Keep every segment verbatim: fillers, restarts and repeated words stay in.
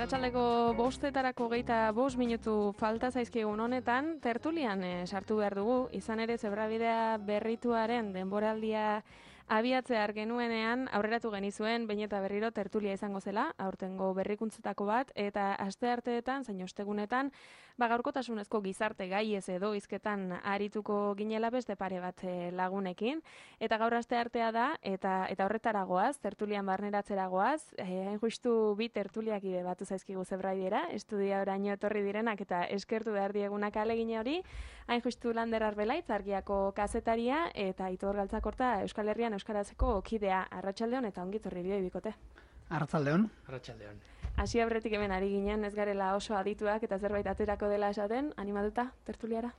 arratsaldeko bostetarako geita bost minutu falta zaizkigun honetan, tertulian eh, sartu behar dugu, izan ere Zebrabidea berrituaren denboraldia abiatzear genuenean aurreratu genizuen behin eta berriro tertulia izango zela, aurtengo berrikuntzetako bat, eta astearteetan, zein ostegunetan, ba gaurkotasunezko gizarte gaiez edo hizketan arituko ginela beste pare bat lagunekin, eta gaur asteartea da, eta eta horretaragoaz, tertulian barneratzeragoaz, eh, hain justu bi tertuliakide batu zaizkigu Zebraidiera, estudia oraino etorri direnak eta eskertu behar diegunak alegina hori, hain justu Lander Arbelaitz, Argiako kazetaria, eta Aitor Galtzakorta Euskal Herrian euskarazeko kidea. Arratsaldeon eta ongi etorri bioi bikote. Arratsaldeon. Arratsaldeon. Hasi aurretik hemen ari ginen, ez garela oso adituak eta zerbait aterako dela esaten, animatuta tertuliara?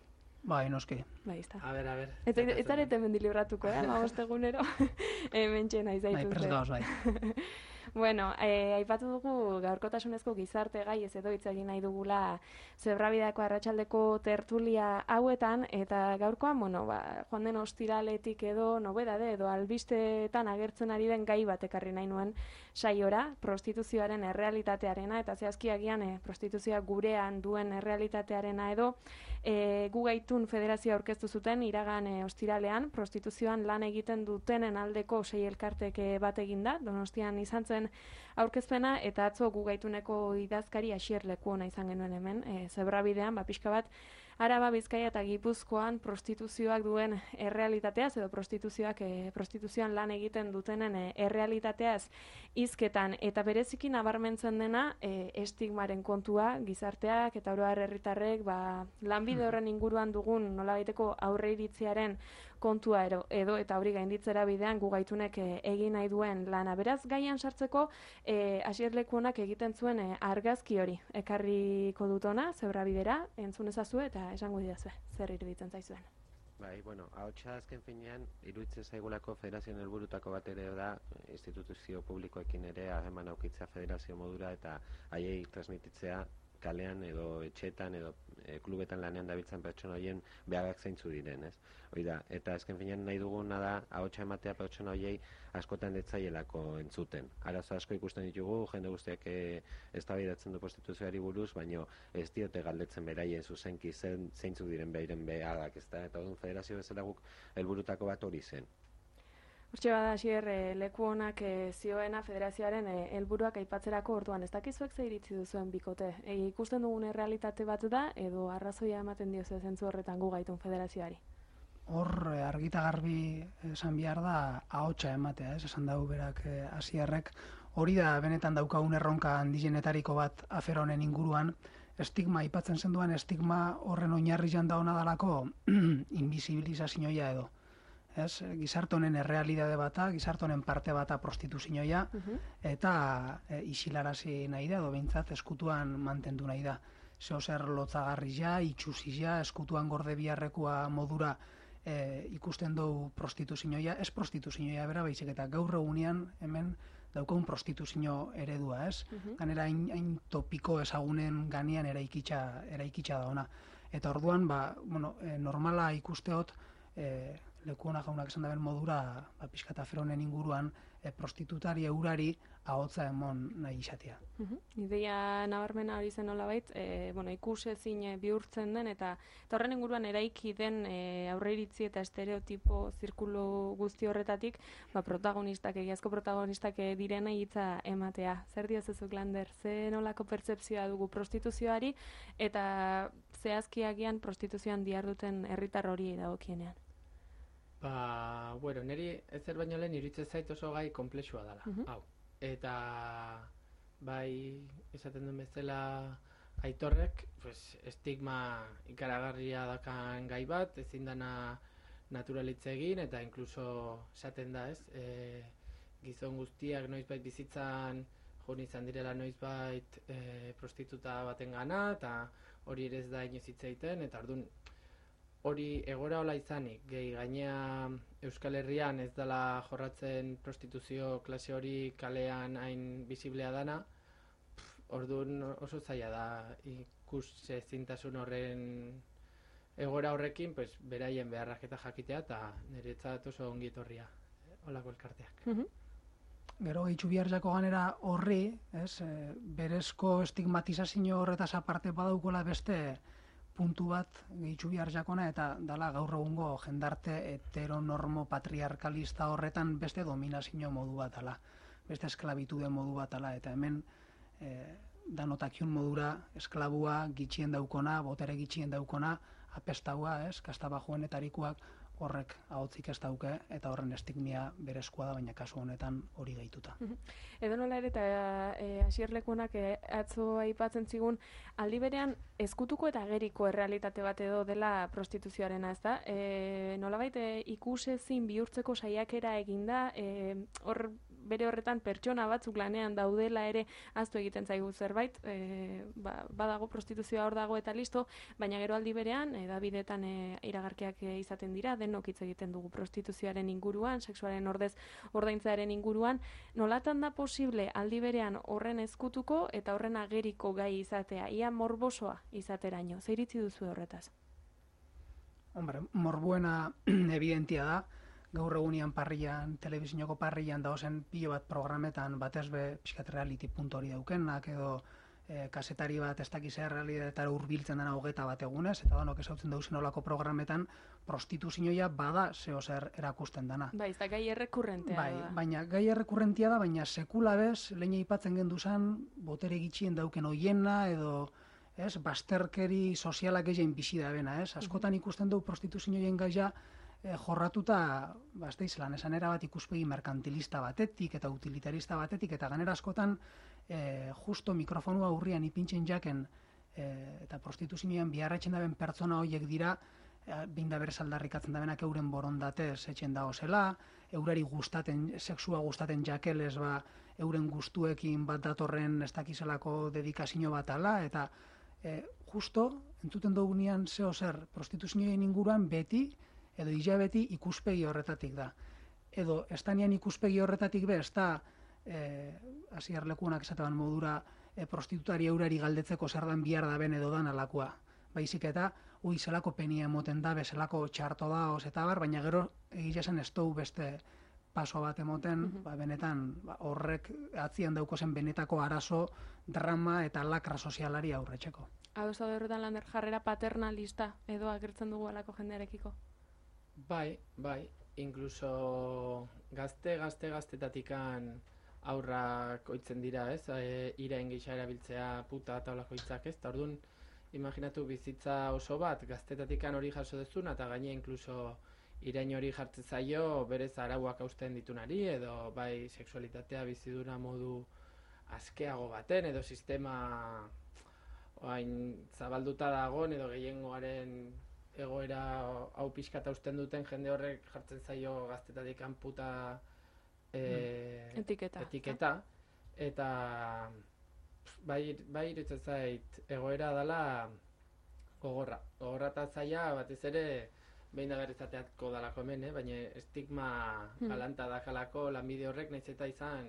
Bai, noski. Bai, ezta. A ber, a ber. Eta ez zarete hemen dilibratuko, eh? Ba, egunero. Hemen txena izaituzte. Bai, prest gauz, bai. Bueno, eh, aipatu dugu gaurkotasunezko gizarte gai ez edo hitz egin nahi dugula Zebrabideako arratsaldeko tertulia hauetan, eta gaurkoan, bueno, ba, joan den ostiraletik edo nobedade edo albisteetan agertzen ari den gai bat ekarri nahi nuen saiora, prostituzioaren errealitatearena, eta zehazki agian eh, prostituzioa gurean duen errealitatearena edo eh, gu gaitun federazioa aurkeztu zuten iragan eh, ostiralean, prostituzioan lan egiten dutenen aldeko sei elkartek eh, bat eginda, Donostian izan zen aurkezpena, eta atzo gu gaituneko idazkari Asier Lekuona izan genuen hemen, e, Zebrabidean, ba, pixka bat, Araba, Bizkaia eta Gipuzkoan prostituzioak duen errealitateaz, edo prostituzioak e, prostituzioan lan egiten dutenen e, errealitateaz hizketan, eta bereziki nabarmentzen dena e, estigmaren kontua, gizarteak eta oro har herritarrek, ba, lanbide horren inguruan dugun nolabaiteko aurreiritziaren kontua ero, edo eta hori gainditzera bidean gu gaitunek e, egin nahi duen lana. Beraz, gaian sartzeko e, Asier Lekuonak egiten zuen e, argazki hori ekarriko dutona, Zebrabidera, entzun ezazue eta esango didazue, zer iruditzen zaizuen. Bai, bueno, ahotsa azken finean, iruditzen zaigulako federazioen helburutako bat ere da, instituzio publikoekin ere harreman aukitzea federazio modura eta haiei transmititzea kalean edo etxetan edo e, klubetan lanean dabiltzan pertsona horien beharrak zeintzu diren, ez? Hoi da, eta azken finean nahi duguna da ahotsa ematea pertsona horiei askotan detzaielako entzuten. Arazo asko ikusten ditugu, jende guztiak e, eztabaidatzen du prostituzioari buruz, baino ez diote galdetzen beraien zuzenki zen, zeintzuk diren beiren beharrak, ezta? Eta orduan federazio bezala guk helburutako bat hori zen. Hortxe bada, Asier, e, Lekuonak e, zioena federazioaren helburuak aipatzerako orduan, ez dakizuek ze iritzi duzuen bikote. E, ikusten dugun errealitate bat da, edo arrazoia ematen diozu zentzu horretan gu gaitun federazioari? Hor, e, argita garbi esan behar da ahotsa ematea, ez? Esan dugu berak e, Asierrek. Hori da benetan daukagun erronka handienetariko bat afera honen inguruan, estigma, aipatzen zenduan estigma horren oinarri janda hona dalako invisibilizazioa edo. Ez, gizarte honen errealitate bata, gizarte honen parte bata prostituzioa, uh-huh. eta e, isilarazi nahi da, edo behintzat eskutuan mantendu nahi da. Zeo zer lotzagarri ja, itxusi ja, eskutuan gorde biharrekoa modura e, ikusten dugu prostituzioa, ez prostituzioa bera baizik, eta gaur egunean hemen daukagun prostituzio eredua, ez? Uh-huh. Ganera hain, hain topiko ezagunen ganean eraikitza, eraikitza da ona. Eta orduan, ba, bueno, e, normala ikusteot, e, Lekuona jaunak esan daben modura, ba, pixka eta feronen inguruan, e, prostitutari eurari ahotza emon nahi izatea. Uh-huh. Ideia nabarmena hori zen nolabait, e, bueno, ikusezin bihurtzen den, eta, eta horren inguruan eraiki den e, aurreiritzi eta estereotipo zirkulu guzti horretatik, ba, protagonistak, egiazko protagonistak direna hitza ematea. Zer diozezuk, Lander, ze nolako pertzepzioa dugu prostituzioari, eta zehazkiagian prostituzioan diharduten herritar hori dagokienean? Ba, bueno, niri ez zer baino lehen iruditzen zait oso gai konplexua dela, uh-huh. hau. Eta, bai, esaten duen bezala Aitorrek, pues, estigma ikaragarria dakan gai bat, ezin dana naturalitze egin, eta inkluso esaten da, ez, e, gizon guztiak noizbait bizitzan joan izan direla noizbait e, prostituta baten gana, eta hori ere ez da inoiz hitz egiten, eta ordun hori egora hola izanik, gehi gainea Euskal Herrian ez dela jorratzen prostituzio klase hori kalean hain bisiblea dana, orduan oso zaila da ikus ezintasun horren egora horrekin, pues, beraien beharrak eta jakitea, eta niretzat oso ongi etorria holako elkarteak. Uh-huh. gero gehitxu bihar jako ganera horri, ez, e, berezko estigmatizazio horretaz aparte badaukola beste puntu bat gehitxu bihar jakona, eta dala gaur egungo jendarte heteronormo patriarkalista horretan beste dominazio modu bat ala, beste esklabitude modu bat ala, eta hemen e, danotakion modura esklabua gitxien daukona, botere gitxien daukona, apestaua, ez, kastabajoenetarikoak, horrek ahotzik ez dauke, eta horren estigmia berezkoa da, baina kasu honetan hori gehituta. Edo nola ere, eta e, asierlekunak e, atzo aipatzen zigun, aldi berean ezkutuko eta ageriko errealitate bat edo dela prostituzioarena, ez da? E, nolabait e, ikusezin bihurtzeko saiakera eginda, e, hor bere horretan pertsona batzuk lanean daudela ere ahaztu egiten zaigu zerbait, e, ba, badago prostituzioa hor dago eta listo, baina gero aldi berean, edabidetan e, iragarkiak e, izaten dira, denok hitz egiten dugu prostituzioaren inguruan, sexuaren ordez ordaintzearen inguruan, nolatan da posible aldi berean horren ezkutuko eta horren ageriko gai izatea, ia morbosoa izateraino, zer iritzi duzu horretaz? Hombre, morbuena evidentia da, gaur egunean parrian, telebizinoko parrian dauzen pilo bat programetan batez be pixkat reality puntu hori daukenak, edo e, kasetari bat ez dakiz errealitatera hurbiltzen dena hogeta bat egunez, eta danok ezautzen dauzen olako programetan prostituzioa bada zeo zer erakusten dana. Bai, ez da gai errekurrentea bai, da. Baina gai errekurrentia da, baina sekula bez, lehen aipatzen genduzan, botere gitxien dauken hoiena, edo ez, basterkeri sozialak egin bizi da bena, ez? Askotan ikusten dugu prostituzioen gaia E, jorratuta, ba, ez da izan, esan erabat ikuspegi merkantilista batetik eta utilitarista batetik, eta ganera askotan e, justo mikrofonua urrian ipintzen jaken e, eta prostituzioan biharretzen daben pertsona horiek dira, e, binda berez aldarrikatzen dabenak euren borondatez etxen dago zela, eurari gustaten, sexua gustaten jakelez, ba, euren gustuekin bat datorren ez dakizelako dedikazio bat ala, eta e, justo, entzuten dugunean zeo zer prostituzioen inguruan beti, edo hilabeti ikuspegi horretatik da. Edo, estanian ikuspegi horretatik be, ez da, e, asierlekunak esateban modura, e, prostitutari eurari galdetzeko zer dan bihar da ben edo dan alakoa. Baizik eta, ui, zelako penia emoten da, zelako txarto da, eta bar, baina gero egia zen ez dugu beste paso bat emoten, mm-hmm. ba, benetan ba, horrek atzian daukozen benetako arazo, drama eta lakra sozialari aurretxeko. Hau zaude horretan lander jarrera paternalista edo agertzen dugu alako jendearekiko? Bai, bai, inkluso gazte, gazte, gaztetatikan aurrak oitzen dira, ez? E, irain gisa erabiltzea puta eta olako hitzak, ez? Ta orduan, imaginatu bizitza oso bat, gaztetatikan hori jaso dezuna, eta gaine inkluso irain hori jartzen zaio berez arauak hausten ditunari, edo bai sexualitatea bizidura modu askeago baten, edo sistema oain zabalduta dagoen, edo gehiengoaren egoera hau pixkat hausten duten jende horrek jartzen zaio gaztetatik puta e, etiketa. etiketa. Eta bai, bai irutzen zait egoera dela gogorra. Gogorra eta zaila batez ere behin da berrizateatko dalako hemen, eh? Baina estigma galanta hmm. dakalako lanbide horrek nahiz eta izan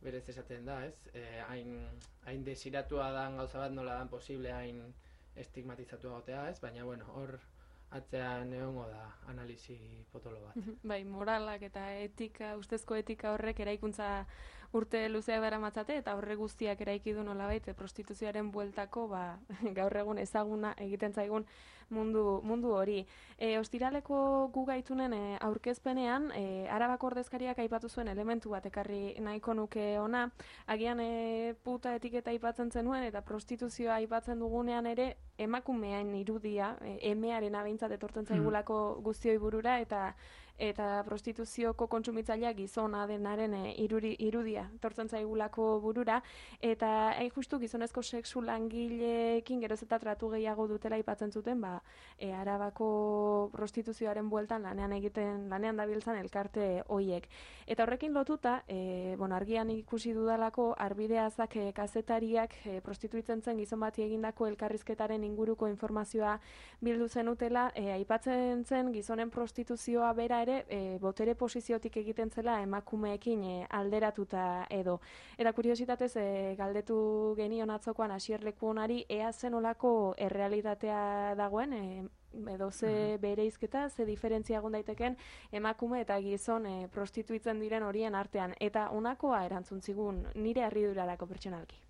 berez esaten da, ez? E, hain, hain desiratua dan gauza bat nola dan posible hain estigmatizatu egotea, ez? Baina, bueno, hor atzean egongo da analisi potolo bat. Bai, moralak eta etika, ustezko etika horrek eraikuntza urte luzeak dara matzate, eta horre guztiak eraiki du nolabait prostituzioaren bueltako, ba, gaur egun ezaguna egiten zaigun mundu, mundu hori. E, ostiraleko gu gaitunen e, aurkezpenean, e, Arabako ordezkariak aipatu zuen elementu bat ekarri nahiko nuke ona, agian e, puta etiketa aipatzen zenuen, eta prostituzioa aipatzen dugunean ere, emakumean irudia, e, emearen abeintzat etortzen zaigulako guztioi burura, eta eta prostituzioko kontsumitzaileak gizona denaren e, iruri, irudia etortzen zaigulako burura, eta hain justu gizonezko sexu langileekin geroz eta tratu gehiago dutela aipatzen zuten, ba, e, Arabako prostituzioaren bueltan lanean egiten, lanean dabiltzan elkarte hoiek. Eta horrekin lotuta, e, bueno, argian ikusi dudalako arbideazak e, kazetariak e, prostituitzen zen gizon bati egindako elkarrizketaren inguruko informazioa bildu zenutela, e, aipatzen zen gizonen prostituzioa bera ere E, botere posiziotik egiten zela emakumeekin e, alderatuta edo. Eta kuriositatez e, galdetu genion atzokoan asierleku honari ea zenolako errealitatea dagoen e, edo ze bereizketa, ze diferentzia egon daiteken emakume eta gizon e, prostituitzen diren horien artean. Eta honakoa erantzun zigun nire harridurarako pertsonalki.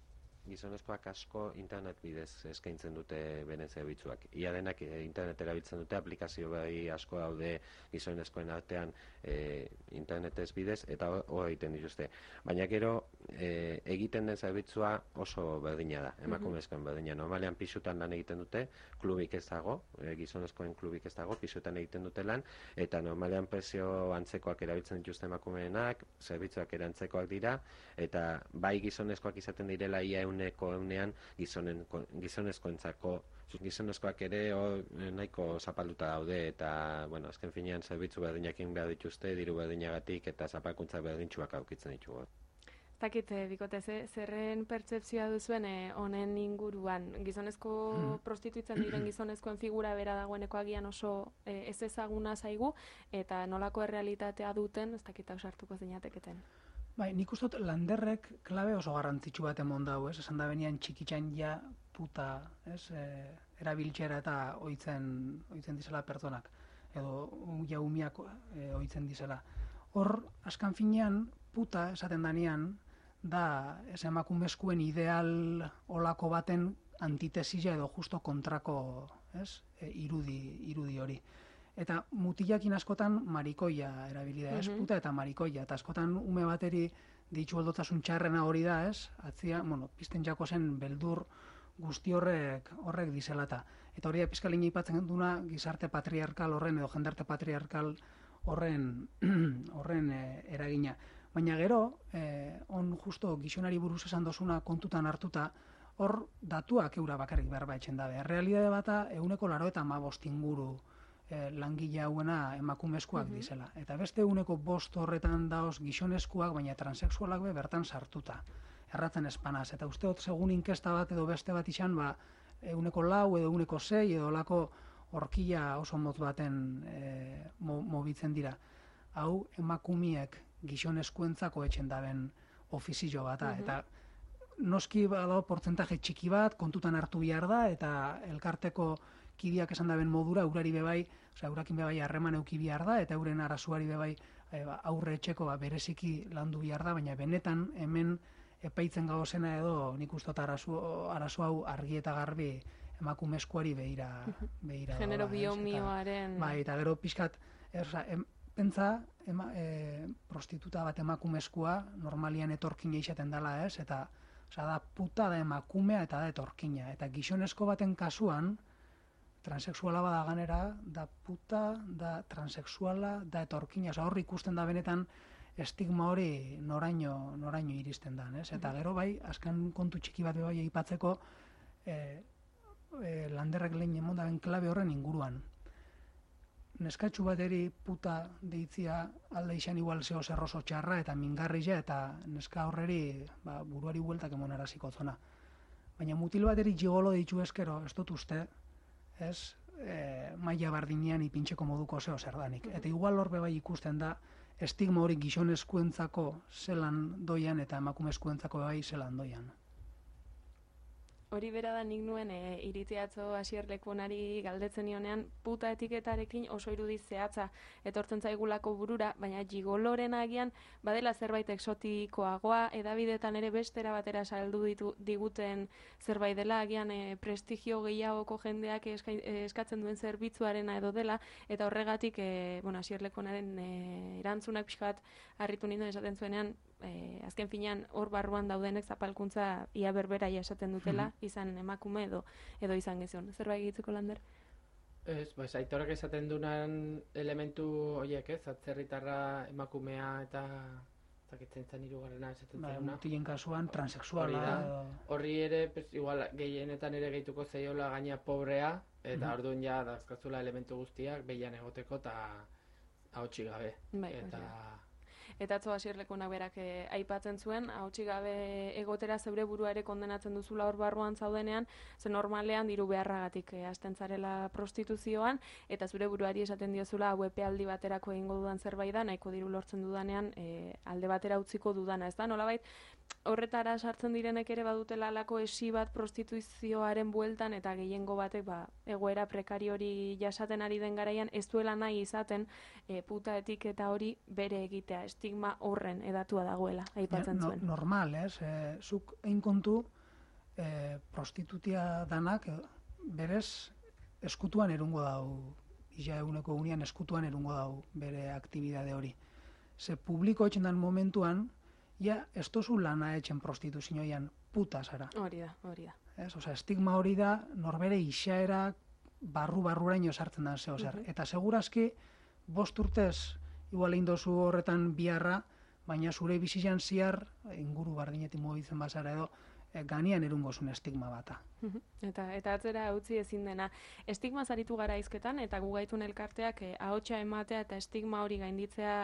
Gizonezkoak asko internet bidez eskaintzen dute beren zerbitzuak. Ia denak e, internet erabiltzen dute, aplikazio bai asko daude gizonezkoen artean e, internetez bidez, eta hor egiten dituzte. Baina gero e, egiten den zerbitzua oso berdina da, emakumezkoen berdina. Normalean pisutan lan egiten dute, klubik ez dago, e, gizonezkoen klubik ez dago, pisutan egiten dute lan, eta normalean prezio antzekoak erabiltzen dituzte emakumeenak, zerbitzuak ere antzekoak dira, eta bai gizonezkoak izaten direla ia euneko eunean gizonen, gizonezkoentzako gizonezkoak ere hor nahiko zapalduta daude eta, bueno, azken finean zerbitzu berdinakin behar dituzte, diru berdinagatik eta zapalkuntza berdintxuak aukitzen ditugu. Zakit, bikote, ze, zerren pertsepzioa duzuen honen inguruan. Gizonezko mm. prostituitzen diren gizonezkoen figura bera dagoeneko agian oso e, ez ezaguna zaigu, eta nolako errealitatea duten, ez dakit ausartuko zinateketen. Bai, nik uste dut Landerrek klabe oso garrantzitsu bat emon dau, ez? Esan da benian txikitxan ja puta, ez? E, erabiltxera eta oitzen, oitzen dizela pertsonak, edo ja umiak e, oitzen dizela. Hor, askan finean, puta esaten danean, da ez emakumezkoen ideal olako baten antitesila edo justo kontrako, ez? E, irudi, irudi hori. Eta mutilakin askotan marikoia erabili da, ez? Mm-hmm. Puta eta marikoia. Eta askotan ume bateri ditxu aldotasun txarrena hori da, ez? Atzia, bueno, pizten jako zen beldur guzti horrek horrek dizelata. Eta hori da pizkalina ipatzen duna gizarte patriarkal horren edo jendarte patriarkal horren horren e, eragina. Baina gero, eh, on justo gizonari buruz esan dozuna kontutan hartuta, hor datuak eura bakarrik behar baitzen dabe. Realidade bata euneko laro eta hamabost inguru eh, langile hauena emakumezkoak mm-hmm. dizela. Eta beste euneko bost horretan daoz gizonezkoak, baina transexualak be bertan sartuta. Erratzen espanaz. Eta uste hot segun inkesta bat edo beste bat izan, ba, euneko lau edo euneko sei edo lako horkila oso motz baten e, mo, mobitzen dira. Hau emakumiek gizonezkoentzako etxen daben ofizio bata. Mm-hmm. Eta noski badago portzentaje txiki bat, kontutan hartu behar da, eta elkarteko kidiak esan daben modura, eurari bebai, osea, eurakin bebai harreman euki behar da, eta euren arazuari bebai e, ba, aurre etxeko ba, bereziki landu behar da, baina benetan hemen epaitzen gauzena edo nik ustot arazu, arazu hau argi eta garbi emakumezkoari behira, behira genero dola, biomioaren eta, bai, eta gero pixkat erza, em, pentsa ema, e, prostituta bat emakumezkoa normalian etorkina izaten dela, ez? Eta osea, da puta da emakumea eta da etorkina. Eta gizonezko baten kasuan transexuala bada ganera, da puta, da transexuala, da etorkina. Osea, hor ikusten da benetan estigma hori noraino, noraino iristen da, ez? Eta gero bai, azken kontu txiki bat bai aipatzeko e, e, Landerrek lehen emon daben klabe horren inguruan. Neskatxu bateri puta deitzia alde izan igual zeo zerroso txarra eta mingarria eta neska horreri ba, buruari bueltak emon araziko zona. Baina mutil bateri gigolo ditu eskero, ez dut uste, ez, e, maila bardinean ipintxeko moduko zeo zerdanik. Eta igual horbe bai ikusten da estigma hori gizonezkoentzako zelan doian eta emakumezkoentzako bai zelan doian. Hori bera da nik nuen e, iritziatzo Asierlekunari galdetzen nionean puta etiketarekin oso irudi zehatza etortzen zaigulako burura, baina gigoloren agian badela zerbait exotikoagoa, edabidetan ere bestera batera saldu ditu, diguten zerbait dela, agian e, prestigio gehiagoko jendeak eska, e, eskatzen duen zerbitzuarena edo dela, eta horregatik e, bueno, Asierlekunaren e, erantzunak pixkat harritu ninduen esaten zuenean, E, azken finean hor barruan daudenek zapalkuntza ia berbera esaten dutela, mm-hmm. izan emakume edo edo izan gizon. Zerbait egitzeko, Lander? Ez, pues, aitorek esaten dunan elementu horiek, ez? Atzerritarra emakumea eta zakitzen zen hirugarrena esaten ba, zailuna. Mutilen kasuan transexuala. Horri ere, pues, igual, gehienetan ere gehituko zaiola gaina pobrea, eta mm-hmm. orduan ja dazkazula elementu guztiak behian egoteko eta ahotsik gabe. Bai, eta... Bai. Eta atzo Asierlekunak berak e, aipatzen zuen, ahotsik gabe egotera zeure burua ere kondenatzen duzula hor barruan zaudenean, ze normalean diru beharragatik e, hasten zarela prostituzioan, eta zure buruari esaten diozula hau epealdi baterako egingo dudan zerbait da, nahiko diru lortzen dudanean e, alde batera utziko dudana, ez da? Nolabait, horretara sartzen direnek ere badutela alako esi bat prostituzioaren bueltan eta gehiengo batek ba, egoera prekario hori jasaten ari den garaian ez duela nahi izaten e, puta etiketa hori bere egitea, estigma horren edatua dagoela, aipatzen no, zuen. Normal, ez? E, zuk egin kontu e, prostitutia danak e, berez eskutuan erungo dau, ia eguneko unian eskutuan erungo dau bere aktibidade hori. Ze publiko etxendan momentuan, ja, ez tozu lana etxen prostituzioian puta zara. Hori da, hori da. Ez, osea, estigma hori da, norbere isaera barru-barruraino sartzen da zeo zer. Uh -huh. Eta segurazki, bost urtez, igual egin dozu horretan biharra, baina zure bizitzan ziar, inguru bardinetik mugitzen bazara edo, e, ganian erungozun estigma bata. Eta eta atzera utzi ezin dena. Estigma zaritu gara hizketan eta gu gaitun elkarteak eh, ahotsa ematea eta estigma hori gainditzea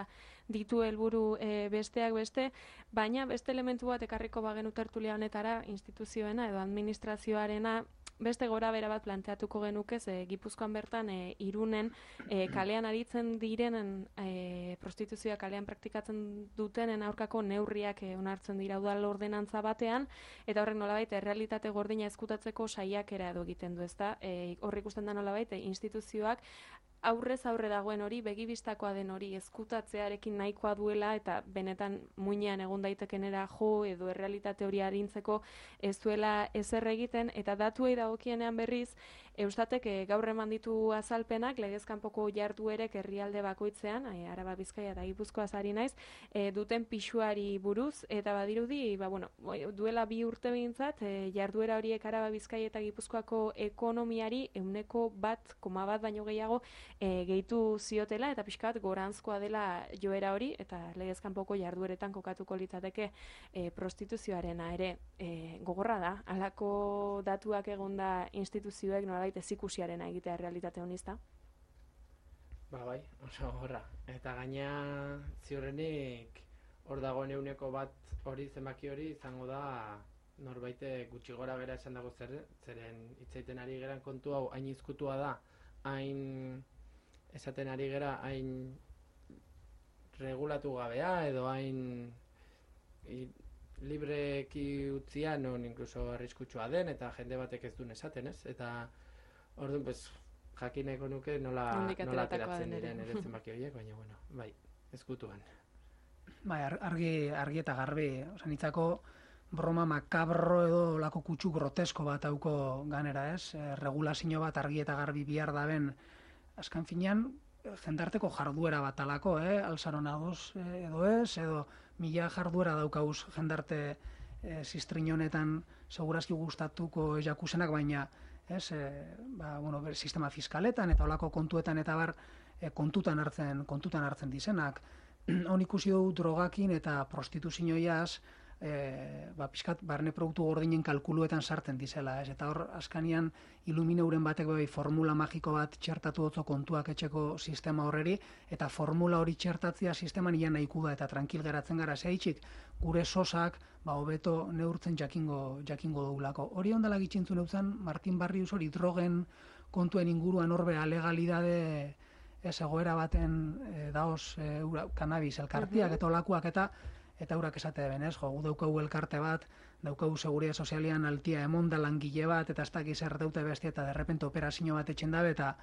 ditu helburu eh, besteak beste, baina beste elementu bat ekarriko bagenu tertulia honetara, instituzioena edo administrazioarena beste gora bera bat planteatuko genuke, ze Gipuzkoan bertan e, Irunen e, kalean aritzen direnen e, prostituzioa kalean praktikatzen dutenen aurkako neurriak e, onartzen dira udal ordenantza batean, eta horrek nolabait errealitate gordina ezkutatzeko saiakera edo egiten du, ezta? E, hor ikusten da nolabait e, instituzioak aurrez aurre dagoen hori, begibistakoa den hori ezkutatzearekin nahikoa duela eta benetan muinean egon daitekenera jo edo errealitate hori arintzeko ez duela ezer egiten, eta datuei dagokienean berriz Eustatek e, gaur eman ditu azalpenak legezkanpoko jarduerek herrialde bakoitzean, e, Araba, Bizkaia eta Gipuzkoaz ari naiz, e, duten pisuari buruz, eta badirudi, ba, bueno, duela bi urte behintzat, e, jarduera horiek Araba, Bizkaia eta Gipuzkoako ekonomiari ehuneko bat koma bat baino gehiago e, gehitu ziotela, eta pixka bat goranzkoa dela joera hori, eta legezkanpoko jardueretan kokatuko litzateke e, prostituzioarena ere e, gogorra da, halako datuak egonda instituzioek nola ez ikusiarena egitea realitate honizta. Ba bai, oso horra. Eta gaina ziurrenik hor dagoen euneko bat hori zenbaki hori izango da norbaite gutxi gora bera esan dago zer, zeren hitzaiten ari geran kontu hau hain izkutua da, hain esaten ari gera hain regulatu gabea edo hain i, libreki utzia non inkluso arriskutsua den eta jende batek ez duen esaten, ez? Eta orduan, pues, jakineko nuke nola, nola ateratzen diren ere zenbaki horiek, baina, bueno, bai, ezkutuan. Bai, argi, argi eta garbi, oza, nitzako broma makabro edo lako kutsu grotesko bat hauko ganera, ez? E, regulazio bat argi eta garbi bihar daben, azkan finean, jendarteko jarduera bat alako, eh? Alzaron adoz edo ez, edo mila jarduera daukauz jendarte e, zistrin honetan segurazki gustatuko jakusenak, baina ez, e, ba, bueno, ber, sistema fiskaletan eta olako kontuetan eta bar e, kontutan hartzen kontutan hartzen dizenak. Hon ikusi dugu drogakin eta prostituzioiaz e, ba, pixkat barne produktu gordinen kalkuluetan sartzen dizela, ez? Eta hor askanian ilumineuren batek bai formula magiko bat txertatu dutzo kontuak etxeko sistema horreri, eta formula hori txertatzea sisteman ia nahiku da eta tranquil geratzen gara zeitxik gure sosak ba hobeto neurtzen jakingo jakingo dugulako. Hori ondala gitzintzun eutzan Martin Barrius hori drogen kontuen inguruan horbe alegalidade ez egoera baten e, daoz e, cannabis elkartiak eta olakoak eta eta urak esate benez, jo, gu daukagu elkarte bat, daukagu seguridad sozialian altia emonda langile bat, eta ez dakiz erdaute bestia, eta derrepente operazio bat etxen dabe, eta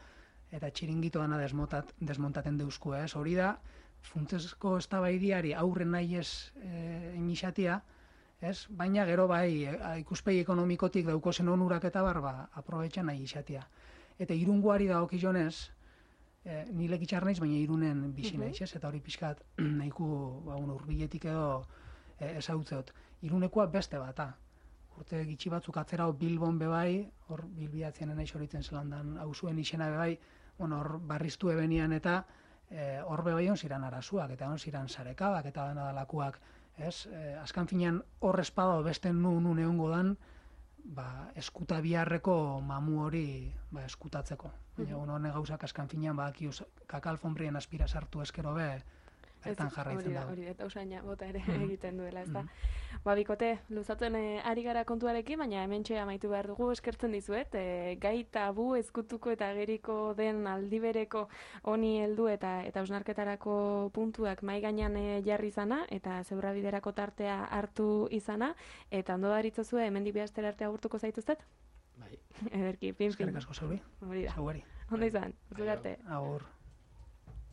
eta txiringito dana desmontat, desmontaten deuzku, ez? Hori da, funtsezko eztabaidiari aurren nahi ez e, inixatia, ez? Baina gero bai, e, ikuspegi ekonomikotik daukozen onurak eta barba, aprobetxan nahi izatia. Eta irungoari dagokionez, E, ni lekitxar naiz, baina Irunen bizi naiz, ez? Eta hori pixkat nahiku ba, urbiletik edo e, ezautzeot. Irunekoa beste bata. Urte gitxi batzuk atzera Bilbon bebai, hor bilbiatzen naiz horitzen zelandan hauzuen izena bebai, bueno, hor barriztu ebenian eta e, hor bebai on ziran arazuak, eta on ziran sarekabak eta danadalakuak, ez? E, azkan finean hor espada beste nun nun egongo dan, ba, eskuta biharreko mamu hori ba, eskutatzeko. Baina, uh -huh. Hone gauzak askan finean, ba, kakal fonbrien aspira sartu eskero be, bertan jarraitzen dago. Hori, eta usaina bota ere egiten duela, ez da. Ba, bikote, luzatzen e, ari gara kontuarekin, baina hementxe amaitu behar dugu eskertzen dizuet, e, gai tabu ezkutuko eta ageriko den aldibereko honi heldu eta eta hausnarketarako puntuak mai gainean e, jarri izana, eta Zebrabiderako tartea hartu izana, eta ondo daritzozue, hemendik bi astera arte agurtuko zaituztet? Bai. Ederki, pin, pin. Eskerrik asko, Zauri. Hori da. Zauri. Ondo izan, zure arte. Agur.